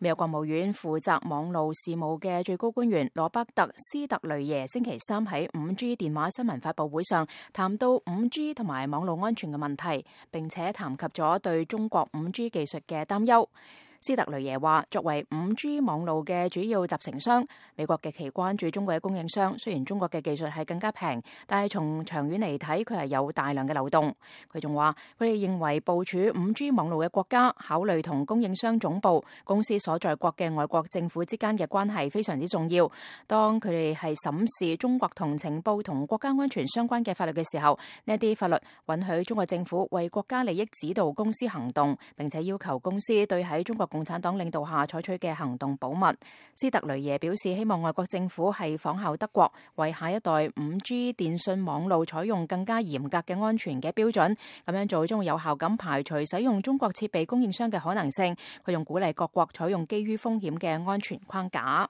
美國國務院負責網路事務嘅最高官員羅伯特斯特雷耶星期三喺 5G 電話新聞發佈會上談到 5G 同埋網路安全嘅問題，並且談及咗對中國 5G 技術嘅擔憂。斯特雷耶話，作為 5G 網路嘅主要集成商，美國極其關注中國嘅供應商。雖然中國嘅技術係更加平，但係從長遠嚟睇，佢係有大量嘅漏洞。佢仲話，佢哋認為部署 5G 網路嘅國家考慮同供應商總部、公司所在國嘅外國政府之間嘅關係非常之重要。當佢哋係審視中國同情報同國家安全相關嘅法律嘅時候，呢一啲法律允許中國政府為國家利益指導公司行動，並且要求公司對喺中國共產黨領導下採取嘅行動保密。斯特雷耶表示，希望外國政府係仿效德國，為下一代 5G 電信網路採用更加嚴格嘅安全嘅標準。咁樣做將會有效咁排除使用中國設備供應商嘅可能性。佢仲鼓勵各國採用基於風險嘅安全框架。